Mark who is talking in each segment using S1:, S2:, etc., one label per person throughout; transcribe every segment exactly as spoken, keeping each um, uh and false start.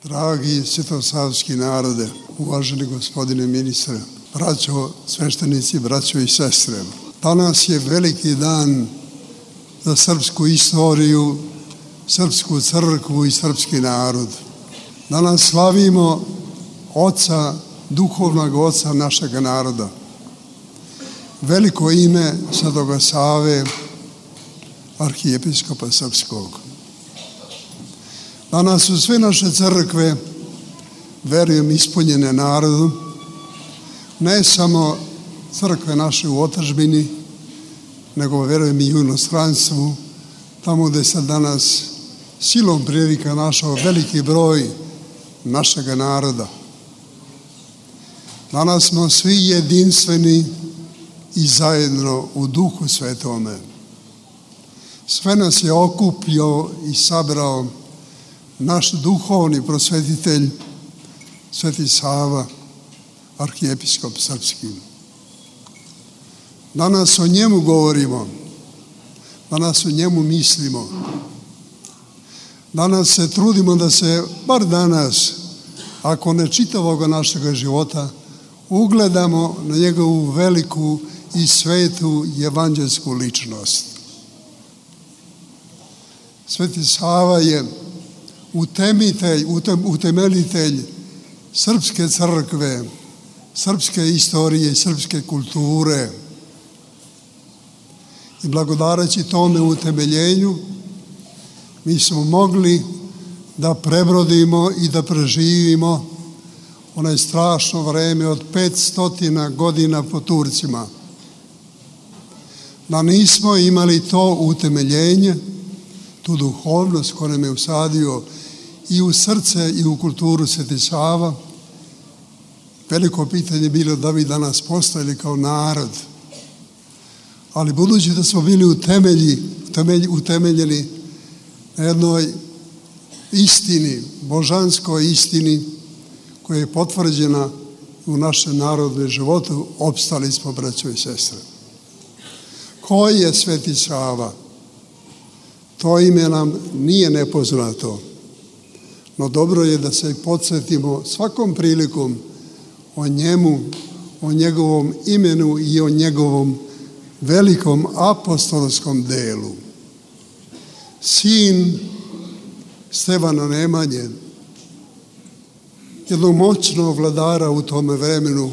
S1: Dragi svetosavski narode, uvaženi gospodine ministre, braćo sveštenici, braćo i sestre, danas je veliki dan za srpsku istoriju, srpsku crkvu i srpski narod. Danas slavimo oca, duhovnog oca našeg naroda. Veliko ime Svetoga Save, arhijepiskopa srpskog. Danas su sve naše crkve, verujem, ispunjene narodu, ne samo crkve naše u otadžbini, nego verujem i u inostranstvu, tamo gde se danas silom prilika našao veliki broj našega naroda. Danas smo svi jedinstveni i zajedno u Duhu Svetome. Sve nas je okupio i sabrao naš duhovni prosvetitelj, Sveti Sava, arhijepiskop srpski. Danas o njemu govorimo, danas o njemu mislimo. Danas se trudimo da se, bar danas, ako ne čitavoga našega života, ugledamo na njegovu veliku i svetu evanđelsku ličnost. Sveti Sava je utemeljitelj, utemeljitelj srpske crkve, srpske istorije i srpske kulture. I blagodareći tome utemeljenju, mi smo mogli da prebrodimo i da preživimo onaj strašno vreme od petstotina godina po Turcima. Da nismo imali to utemeljenje, tu duhovnost koja nam je usadio i u srce i u kulturu Sveti Sava, veliko pitanje bilo da bi danas postojali kao narod. Ali budući da smo bili utemelji, utemeljeni na jednoj istini, božanskoj istini, koja je potvrđena u našem narodnom životu, opstali smo, braćo i sestre. Ko je Sveti Sava? To ime nam nije nepoznato, no dobro je da se podsjetimo svakom prilikom o njemu, o njegovom imenu i o njegovom velikom apostolskom delu. Sin Stevana Nemanje, jednog moćnog vladara u tome vremenu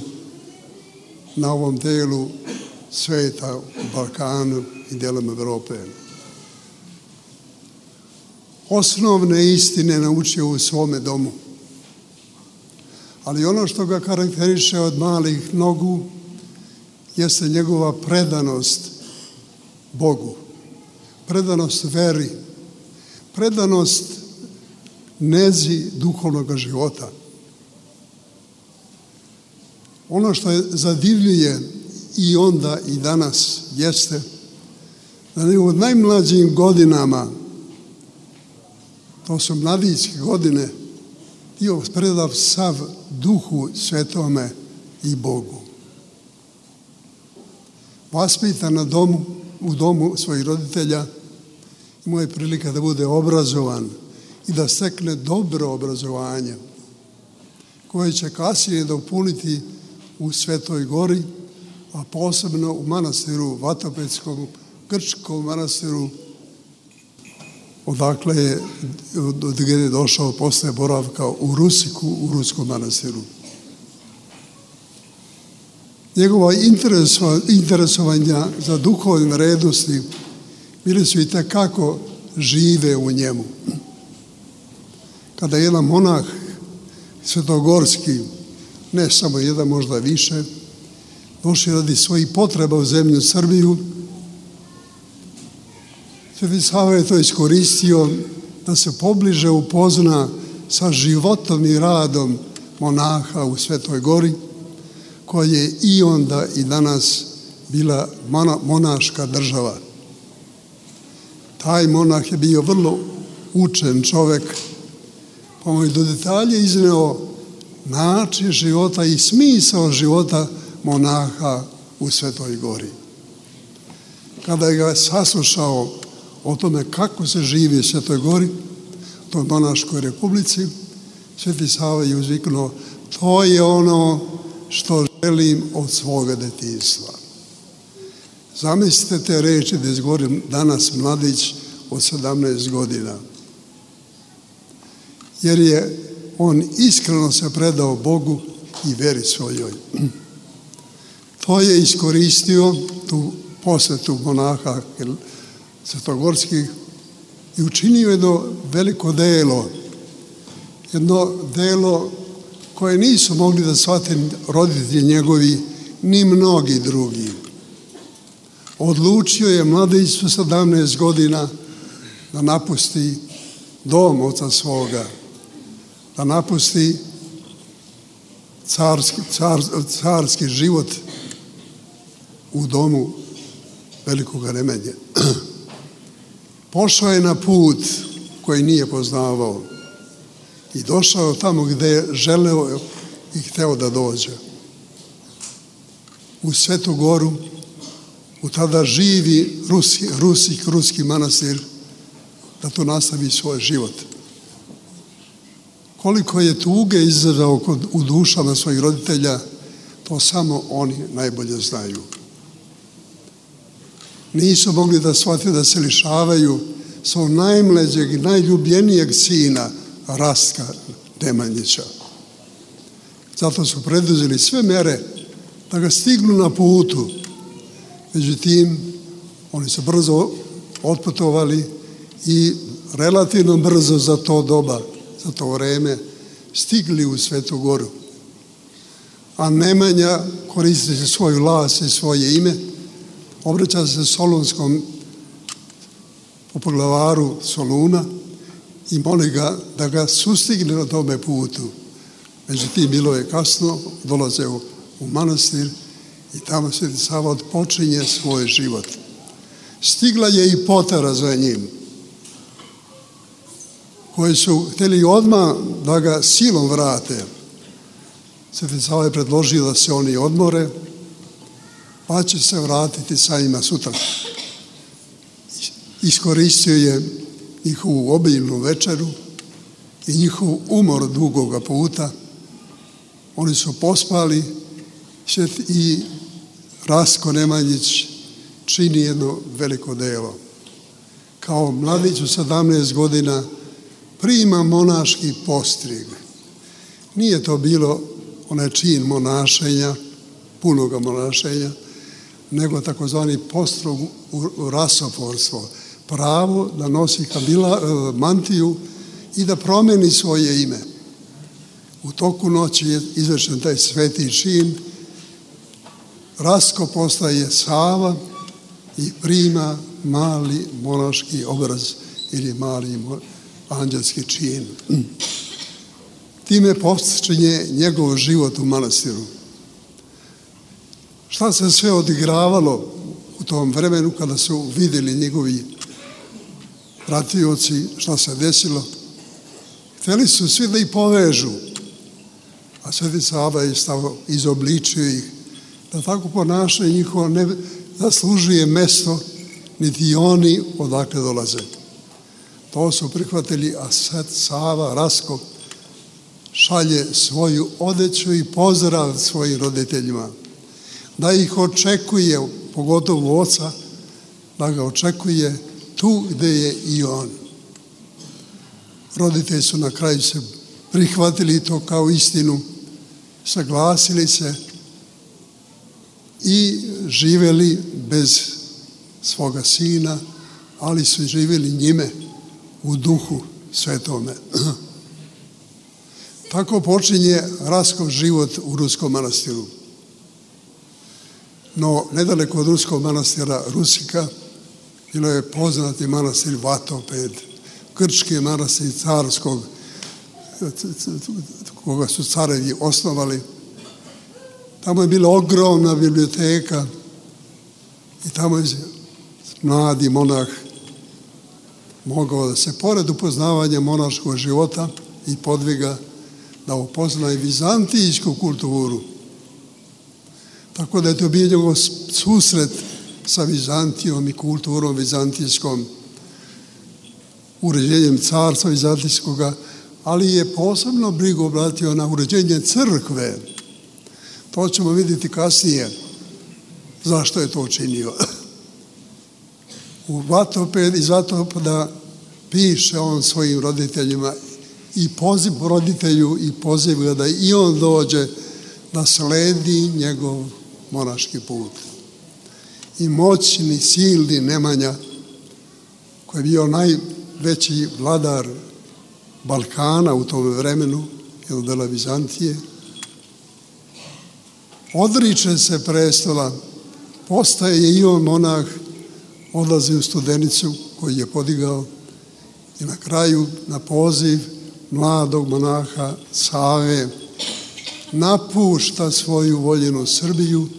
S1: na ovom delu sveta, u Balkanu i delom Evrope. Osnovne istine naučio u svome domu. Ali ono što ga karakteriše od malih nogu jeste njegova predanost Bogu, predanost veri, predanost nezi duhovnog života. Ono što je zadivljuje i onda i danas jeste da u najmlađim godinama, to su mladićke godine, bio predav sav Duhu Svetome i Bogu. Vaspitan na domu, u domu svojih roditelja, imao je prilika da bude obrazovan i da stekne dobro obrazovanje, koje će kasnije da upuniti u Svetoj Gori, a posebno u manastiru Vatopetskom, grčkom manastiru, odakle je, od gdje je došao posle boravka u Rusiku, u Ruskom manastiru. Njegova interesovanja za duhovne vrednosti bili su i tekako žive u njemu. Kada je jedan monah svetogorski, ne samo jedan, možda više, došli radi svojih potreba u zemlju Srbiju, Sveti Sava je to iskoristio da se pobliže upozna sa životom i radom monaha u Svetoj Gori, koja je i onda i danas bila monaška država. Taj monah je bio vrlo učen čovek, pa mu je do detalje izneo način života i smisao života monaha u Svetoj Gori. Kada je ga saslušao o tome kako se živi u Svetoj Gori, toj monaškoj republici, Sveti Sava je uzviknuo: to je ono što želim od svoga detinjstva. Zamislite te reči da izgovorim danas mladić od sedamnaest godina. Jer je on iskreno se predao Bogu i veri svojoj. To je iskoristio tu posvetu monaha svetogorskih i učinio jedno veliko delo. Jedno delo koje nisu mogli da shvate roditelji njegovi, ni mnogi drugi. Odlučio je mladić sa sedamnaest godina da napusti dom oca svoga, da napusti carski, car, carski život u domu velikog Nemenje. Pošao je na put koji nije poznavao i došao tamo gde je želeo i hteo da dođe. U Svetu Goru, u tada živi ruski, ruski, ruski manastir, da tu nastavi svoj život. Koliko je tuge izazvao u dušama svojih roditelja, to samo oni najbolje znaju. Nisu mogli da shvate da se lišavaju svog najmlađeg i najljubljenijeg sina, Rastka Nemanjića. Zato su preduzeli sve mere da ga stignu na putu. Međutim, oni su brzo otputovali i relativno brzo za to doba, za to vreme, stigli u Svetu Goru. A Nemanja, koristeći svoju las i svoje ime, obraća se Solunskom popoglavaru Soluna i moli ga da ga sustigne na tome putu. Međutim, bilo je kasno, dolaze u, u manastir i tamo Sveti Sava odpočinje svoj život. Stigla je i potara za njim, koji su htjeli odmah da ga silom vrate. Sveti Sava je predložio da se oni odmore, pa će se vratiti sa njima sutra. Iskoristio je njihovu obiljnu večeru i njihov umor dugoga puta. Oni su pospali i Rastko Nemanjić čini jedno veliko delo. Kao mladić u sedamnaest godina prima monaški postrig. Nije to bilo onaj čin monašenja, punoga monašenja, nego takozvani postrog u rasoforstvo. Pravo da nosi kabila, mantiju i da promeni svoje ime. U toku noći je izvršen taj sveti čin. Rastko postaje Sava i prima mali monaški obraz ili mali anđelski čin. Time počinje njegov život u manastiru. Šta se sve odigravalo u tom vremenu kada su vidjeli njegovi pratioci, šta se desilo? Htjeli su svi da ih povežu, a Sveti Sava je stavo izobličio ih, da tako ponašanje njihovo ne zaslužuje mesto, niti oni odakle dolaze. To su prihvatili, a Sveti Sava, Rastko, šalje svoju odeću i pozdrav svojim roditeljima, da ih očekuje, pogotovo oca, da ga očekuje tu gde je i on. Roditelji su na kraju se prihvatili to kao istinu, saglasili se i živeli bez svoga sina, ali su živjeli njime u duhu svetome. Tako počinje Rastkov život u Ruskom manastiru. No, nedaleko od Ruskog manastira Rusika bilo je poznati manastir Vatoped, grčki manastir carskog, koga su carevi osnovali. Tamo je bila ogromna biblioteka i tamo je mladi monah mogao da se, pored upoznavanja monaškog života i podviga, da upozna i vizantijsku kulturu. Tako da je to bio njegov susret sa Vizantijom i kulturom vizantijskom, uređenjem carstva vizantijskoga, ali je posebno brigu obratio na uređenje crkve. To ćemo vidjeti kasnije zašto je to učinio. U Vatoped, iz Vatopada piše on svojim roditeljima i poziv roditelju i poziva da i on dođe da sledi njegov monaški put. I moćni, silni Nemanja, koji je bio najveći vladar Balkana u tom vremenu, ili dela Vizantije, odriče se prestola, postaje i on monah, odlazi u Studenicu koju je podigao i na kraju na poziv mladog monaha Save napušta svoju voljenu Srbiju,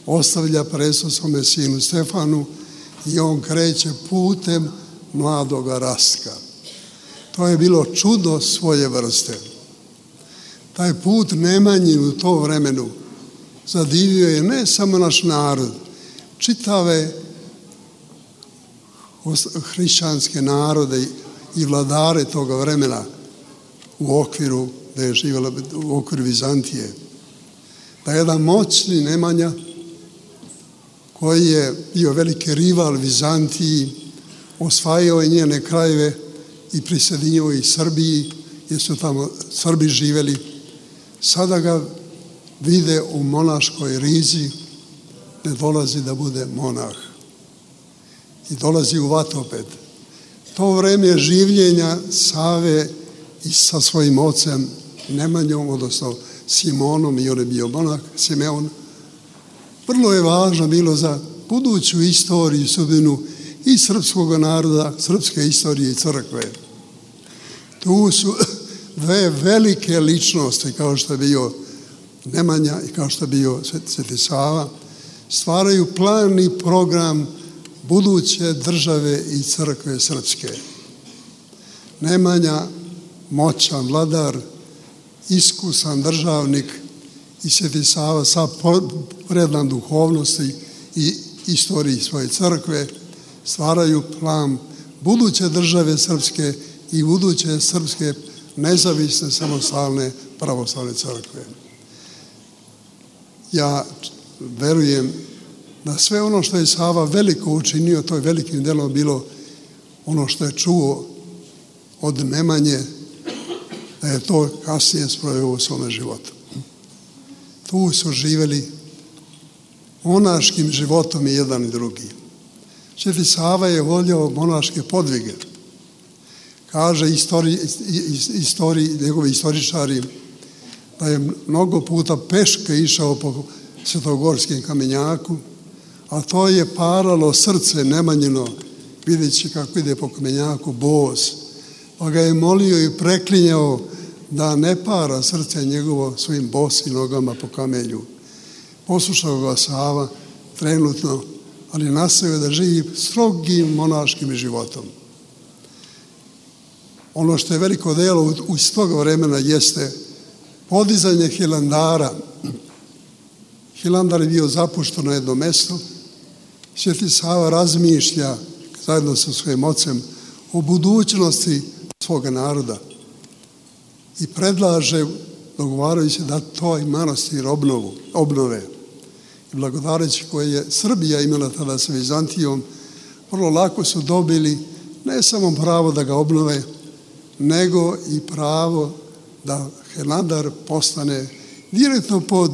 S1: ostavlja prestol svome sinu Stefanu i on kreće putem mladoga Rastka. To je bilo čudo svoje vrste. Taj put Nemanjin u to vremenu zadivio je ne samo naš narod, čitave hrišćanske narode i vladare toga vremena u okviru, da je živjela u okviru Vizantije. Da je jedan moćni Nemanja, koji je bio veliki rival Vizantiji, osvajao je njene krajeve i prisjedinio ih Srbiji, jer su tamo Srbi živjeli. Sada ga vide u monaškoj rizi, ne dolazi da bude monah. I dolazi u Vatoped. To vreme življenja Save i sa svojim ocem Nemanjom, odnosno Simonom, i on je bio monah, Simeon, vrlo je važno bilo za buduću istoriju i sudbinu i srpskog naroda, srpske istorije i crkve. Tu su dve velike ličnosti, kao što je bio Nemanja i kao što je bio Sveti Sava, stvaraju plan i program buduće države i crkve srpske. Nemanja, moćan vladar, iskusan državnik, i Sveti Sava sa predan duhovnosti i istoriji svoje crkve stvaraju plan buduće države srpske i buduće srpske nezavisne, samostalne pravoslavne crkve. Ja verujem da sve ono što je Sava veliko učinio, to je velikim delom bilo ono što je čuo od Nemanje, da je to kasnije sproveo u svome životu. Tu su živjeli monaškim životom i jedan i drugi. Sveti Sava je volio monaške podvige. Kaže istori, istori, njegovi istoričari da je mnogo puta peške išao po Svetogorskim kamenjaku, a to je paralo srce Nemanjino, vidjeći kako ide po kamenjaku bos. Pa ga je molio i preklinjao da ne para srce njegovo svojim bosim nogama po kamelju. Poslušao ga Sava trenutno, ali nastavio da živi strogim monaškim životom. Ono što je veliko delo iz toga vremena jeste podizanje Hilandara. Hilandar je bio zapušten na jedno mesto. Sveti Sava razmišlja zajedno sa svojim ocem o budućnosti svoga naroda i predlaže, dogovarajući da to i manastir obnovu, obnove. I blagodareći koje je Srbija imala tada sa Vizantijom, vrlo lako su dobili ne samo pravo da ga obnove, nego i pravo da Hilandar postane direktno pod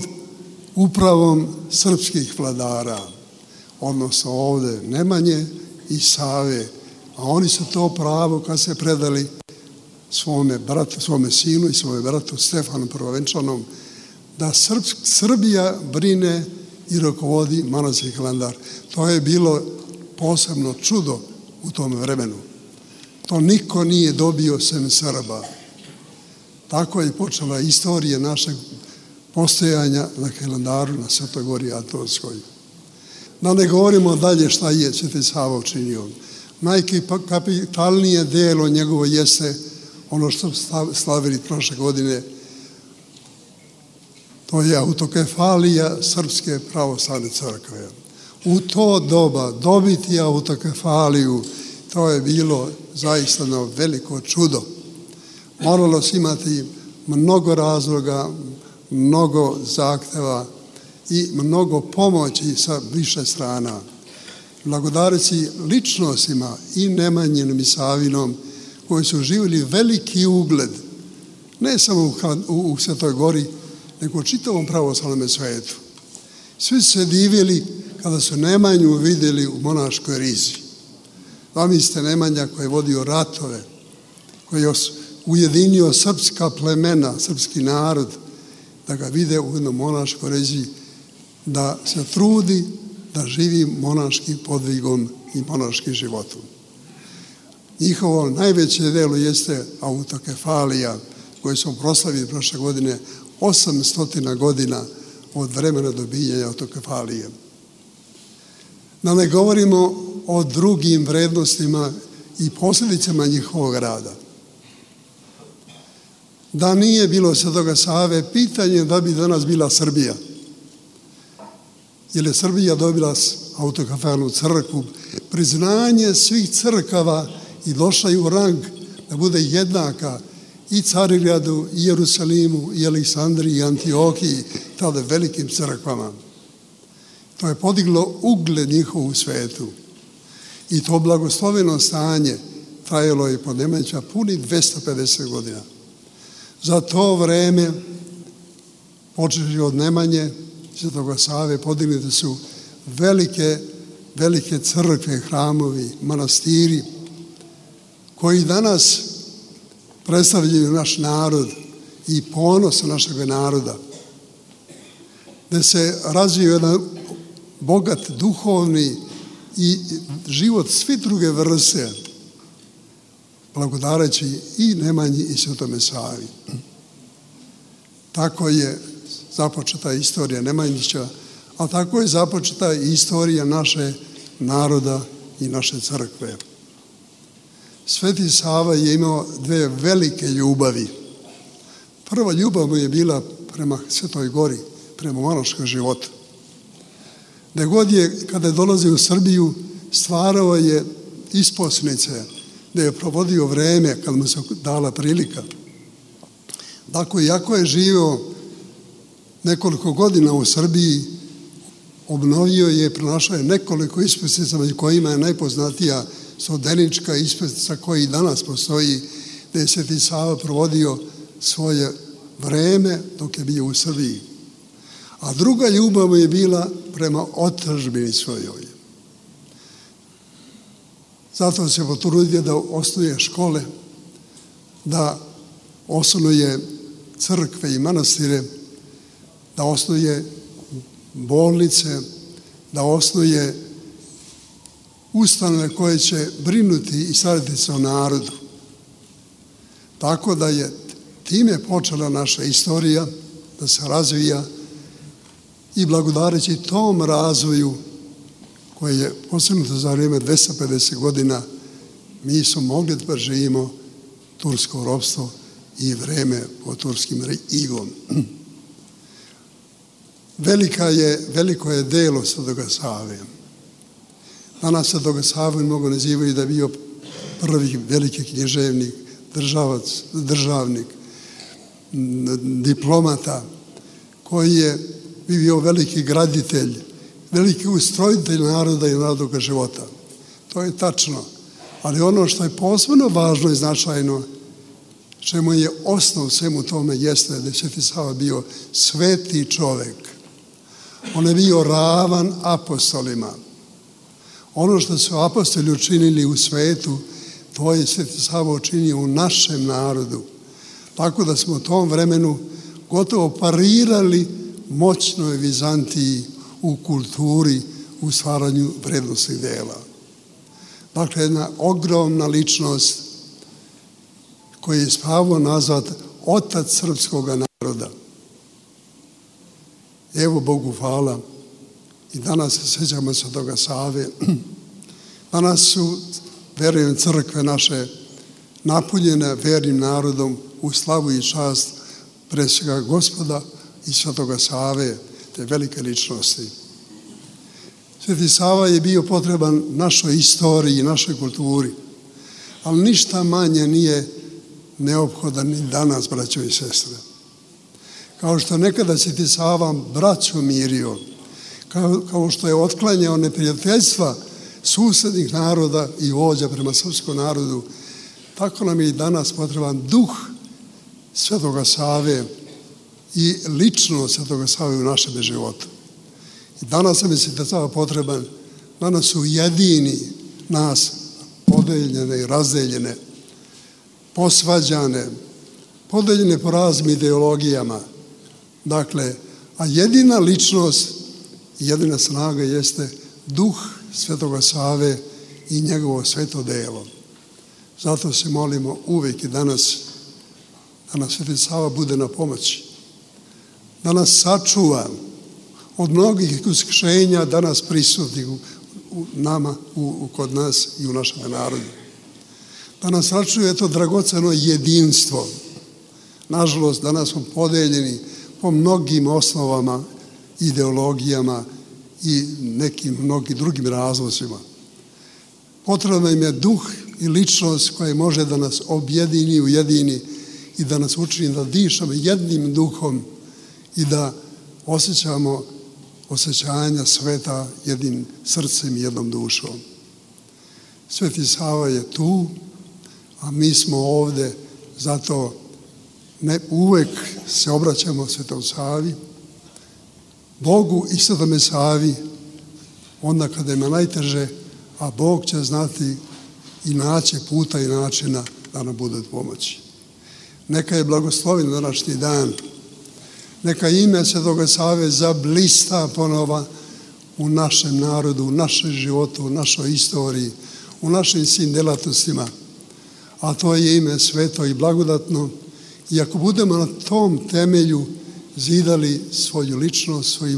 S1: upravom srpskih vladara, odnosno ovde Nemanje i Save, a oni su to pravo kad se predali svome bratu, svome sinu i svome bratu Stefanu Prvovenčanom, da Srb, Srbija brine i rukovodi manastir Hilandar. To je bilo posebno čudo u tom vremenu. To niko nije dobio sem Srba. Tako je počela istorija našeg postojanja na Hilandaru, na Svetoj gori Atonskoj. Da ne govorimo dalje šta je Sveti Sava učinio. Najkapitalnije delo njegovo jeste ono što slavili prošle godine. To je autokefalija Srpske pravoslavne crkve. U to doba dobiti autokefaliju, to je bilo zaista veliko čudo. moralo se imati mnogo razloga, mnogo zahteva i mnogo pomoći sa više strana. Blagodareći ličnostima i Nemanjinom i Savinom koji su živjeli veliki ugled, ne samo u, u, u Svetoj Gori, nego u čitavom pravoslavnom svetu. Svi su se divili kada su Nemanju vidjeli u monaškoj rizi. Zamislite Nemanja koji je vodio ratove, koji je ujedinio srpska plemena, srpski narod, da ga vide u jednom monaškoj rizi, da se trudi da živi monaškim podvigom i monaškim životom. Njihovo najveće delo jeste autokefalija, koju smo proslavili prošle godine, osamsto godina od vremena dobijanja autokefalije. Da ne govorimo o drugim vrednostima i posljedicama njihovog rada. Da nije bilo Svetoga Save, pitanje da bi danas bila Srbija. Jer je Srbija dobila autokefalnu crkvu, priznanje svih crkava i došla je u rang da bude jednaka i Carigradu, i Jerusalimu, i Aleksandriji, i Antiohiji, tada velikim crkvama. To je podiglo ugled njihov u svetu. I to blagosloveno stanje trajalo je pod Nemanjića puni dvesta pedeset godina. Za to vreme, počeši od Nemanje, Svetoga Save, podignute su velike, velike crkve, hramovi, manastiri, koji danas predstavljaju naš narod i ponos našeg naroda, da se razvije jedan bogat duhovni i život svi druge vrste, blagodareći i Nemanji i Svetome Savi. Tako je započeta istorija Nemanjića, a tako je započeta i istorija naše naroda i naše crkve. Sveti Sava je imao dve velike ljubavi. Prva ljubav mu je bila prema Svetoj Gori, prema monaškom životu. Da god je, kada je dolazio u Srbiju, stvarao je isposnice, da je provodio vreme kad mu se dala prilika. Dakle, iako je živio nekoliko godina u Srbiji, obnovio je, pronašao je nekoliko isposnica, među kojima je najpoznatija Sodenička isposnica koja i danas postoji, da je Sveti Sava provodio svoje vreme dok je bio u Srbiji. A druga ljubav mu je bila prema otadžbini svojoj. Zato se potrudio da osnuje škole, da osnuje crkve i manastire, da osnuje bolnice, da osnuje ustanove koje će brinuti i starati se o narodu. Tako da je time počela naša istorija da se razvija i blagodareći tom razvoju koje je postignuto za vrijeme dvesta pedeset godina, mi smo mogli da živimo tursko ropstvo i vreme pod turskim igom. Velika je, veliko je delo Svetoga Save. Danas Svetoga Savu mnogo nazivaju da je bio prvi veliki književnik, državac, državnik, diplomata, koji je bio veliki graditelj, veliki ustrojitelj naroda i narodnog života. To je tačno. Ali ono što je posebno važno i značajno, čemu je osnov svemu tome, jeste da je Sveti Sava bio sveti čovek. On je bio ravan apostolima. Ono što su apostoli učinili u svetu, to je Sveti Sava učinio u našem narodu. Tako da smo u tom vremenu gotovo parirali moćnoj Vizantiji u kulturi, u stvaranju vrednostnih dela. Dakle, jedna ogromna ličnost koji je Pavao nazvat otac srpskog naroda. Evo Bogu hvala. I danas se sjećamo Svetoga Save. Danas su, verujem, crkve naše napunjene vernim narodom u slavu i čast pre svega Gospoda i Svetoga Save, te velike ličnosti. Sveti Sava je bio potreban našoj istoriji i našoj kulturi, ali ništa manje nije neophodan i danas, braćo i sestre. Kao što nekada Sveti Sava braću mirio, kao, kao što je otklanjao neprijateljstva susednih naroda i vođa prema srpskom narodu, tako nam je i danas potreban duh Svetoga Save i ličnost Svetoga Save u našem životu. I danas nam je Sveti Sava potreban, danas su jedini nas podeljene i razdeljene, posvađane, podeljene po raznim ideologijama. Dakle, a jedina ličnost i jedina snaga jeste duh Svetoga Save i njegovo sveto delo. Zato se molimo uvijek i danas da nam Sveti Sava bude na pomoći, da nas sačuva od mnogih iskušenja danas prisutnih u, u nama, u, u, kod nas i u našem narodu. Da nas sačuva to dragoceno jedinstvo. Nažalost, danas smo podeljeni po mnogim osnovama, ideologijama i nekim mnogim drugim razlozima. Potrebno im je duh i ličnost koja može da nas objedini, ujedini i da nas učini da dišamo jednim duhom i da osjećamo osjećanja sveta jednim srcem i jednom dušom. Sveti Sava je tu, a mi smo ovde, zato ne uvek se obraćamo Svetom Savi, Bogu i Svetome Savi, onda kada ima najteže, a Bog će znati i naći puta i načina da nam bude od pomoći. Neka je blagosloven današnji dan, neka ime Svetoga Save zablista ponova u našem narodu, u našem životu, u našoj istoriji, u našim svim delatnostima, a to je ime sveto i blagodatno. I ako budemo na tom temelju zidali svoju ličnost, svoj,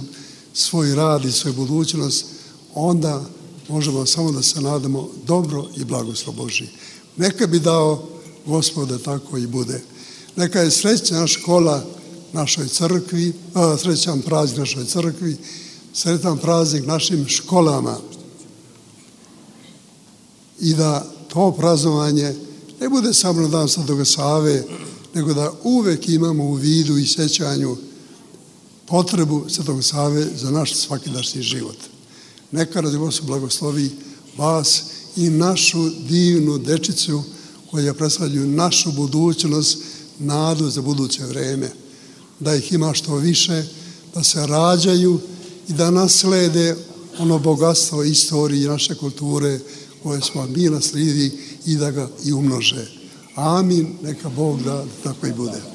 S1: svoj rad i svoju budućnost, onda možemo samo da se nadamo dobro i blagoslov Božji. Neka bi dao Gospod da tako i bude. Neka je srećna škola našoj crkvi, a, srećan praznik našoj crkvi, sretan praznik našim školama. I da to praznovanje ne bude samo na dan Svetoga Save, nego da uvek imamo u vidu i sjećanju potrebu Svetoga Save za naš svakidašnji život. Neka radi Gospod blagoslovi vas i našu divnu dečicu koja predstavljaju našu budućnost, nadu za buduće vreme. Da ih ima što više, da se rađaju i da naslede ono bogatstvo istorije i naše kulture koje smo mi naslijedi i da ga i umnože. Amin, neka Bog da tako i bude.